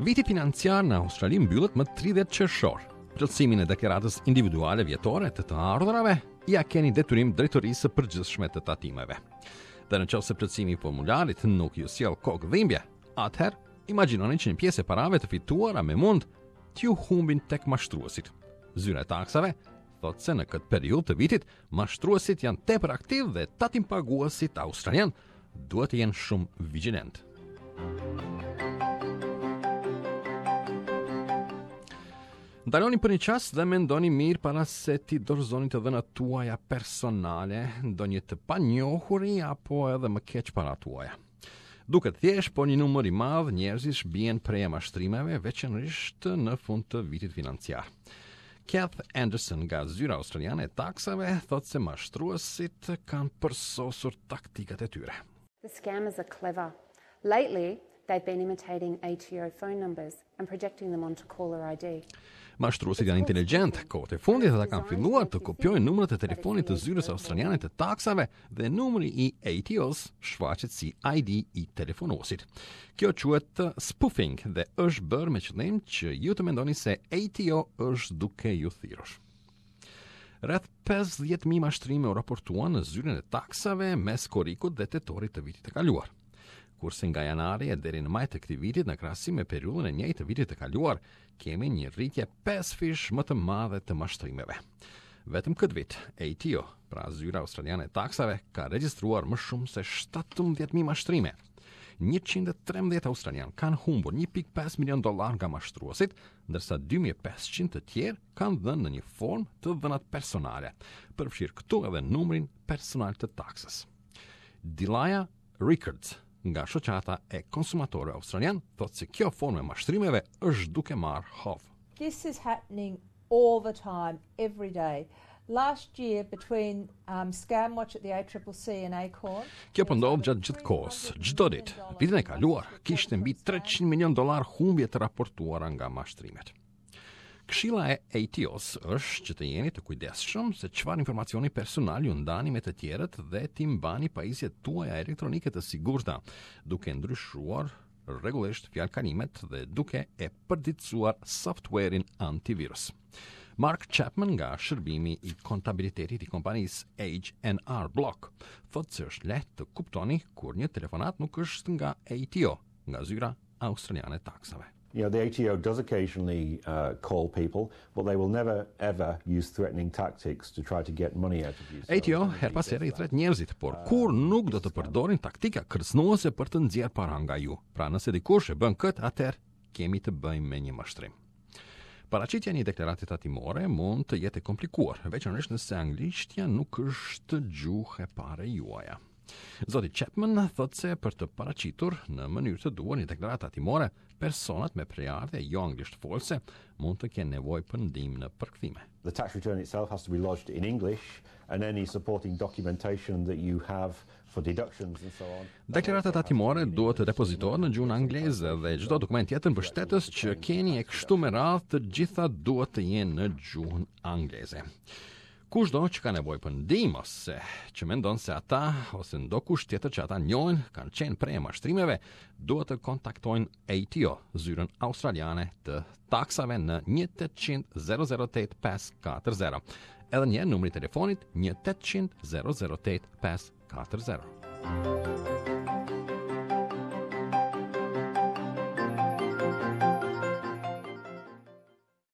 Viti financiar në Australi mbyllet më 30 qershor. Plotësimin e deklaratës individuale vjetore të të ardhurave ia keni detyrim drejtorisë së përgjithshme të tatimeve. Dhe në qoftë se plotësimi i formularit nuk ju sjell kokë dhimbje, atëherë imagjinoni që një pjesë e parave të fituara me mund t'ju humbin tek mashtruesit. Zyra e taksave thotë se në këtë periudhë të vitit mashtruesit janë tepër aktivë dhe tatimpaguesit australianë duhet të jenë shumë vigjilentë. Ndaloni për një çast dhe mendoni mirë para se t'i dorëzoni të dhënat tuaja personale, ndonjë të panjohuri apo edhe më keq paratë tuaja. Duket thjesht, por një numër i madh njerëzish bien pre e mashtrimeve, veçanërisht në fund të vitit financiar. Kath Anderson nga zyra australiane e taksave thotë se mashtruesit kanë përsosur taktikat e tyre. The scammers are clever. Lately, they've been imitating ATO phone numbers and projecting them onto caller ID. Mashtruesit janë inteligjentë. Kohët e fundit ata kanë filluar të kopjojnë numrat e telefonit të zyrës australiane të taksave dhe numri i ATO-s shfaqet si ID i telefonuesit. Kjo quhet spoofing dhe është bërë me qëllim që ju të mendoni se ATO është duke ju thirrur. Rreth 50.000 mashtrime u raportuan në zyrën e taksave mes korrikut dhe tetorit të vitit të kaluar. Kurse nga janari e deri në maj të këtij vitit në krahasim me periudhën e njëjtë të vitit të kaluar, kemi një rritje pesëfish më të madhe të mashtrimeve. Vetëm këtë vit, ATO, pra Zyra Australiane e Taksave, ka regjistruar më shumë se 17.000 mashtrime. 113 australianë kanë humbur 1.5 milion dollarë nga mashtruesit, ndërsa 2500 të tjerë kanë dhënë në një formë të dhënat personale, përfshirë këtu edhe numrin personal të taksës. Dilaja Rickards nga shoqata e konsumatorëve australianë thotë se kjo formë e mashtrimeve është duke marrë hov. This is happening all the time, every day. Last year between um, Scamwatch at the ACCC and Acorn. Kjo po ndodh gjatë gjithë kohës, çdo ditë. Vitin e kaluar kishte mbi 300 milion dollarë humbje të raportuara nga mashtrimet. Këshilla e ATO-s është që të jeni të kujdesshëm se çfarë informacioni personal ju ndani me të tjerët dhe t'i mbani pajisjet tuaja elektronike të sigurta, duke ndryshuar rregullisht fjalëkalimet dhe duke e përditësuar softwarein antivirus. Mark Chapman nga shërbimi i kontabilitetit i kompanisë H&R Block thotë se është lehtë të kuptoni kur një telefonatë nuk është nga ATO, nga zyra australiane e taksave. You know, the ATO does occasionally uh, call people, but they will never ever use threatening tactics to try to get money out of you. ATO herë pas here i thërret njerëzit, por uh, kurrë nuk do të përdorin taktika kërcënuese për të nxjerrë para nga ju. Pra nëse dikush e bën këtë, atëherë kemi të bëjmë me një mashtrim. Paraqitja e një deklarate tatimore mund të jetë e komplikuar, veçanërisht nëse anglishtja nuk është gjuhë e parë juaja. Zoti Chapman thotë se për të paraqitur në mënyrë të duhur një deklaratë tatimore, personat me prejardhje jo anglisht folëse mund të kenë nevojë për ndihmë në përkthime. The tax return itself has to be lodged in English and any supporting documentation that you have for deductions and so on. Deklarata tatimore duhet të depozitohet në gjuhën angleze dhe çdo dokument tjetër mbështetës që keni e kështu me radhë të gjitha duhet të jenë në gjuhën angleze. Kushdo që ka nevojë për ndihmë ose që mendon se ata ose ndokush tjetër që ata njohin kanë qenë pre e mashtrimeve, duhet të kontaktojnë ATO, zyrën australiane të taksave në 1800 008 540. Edhe një herë numri i telefonit 1800 008 540.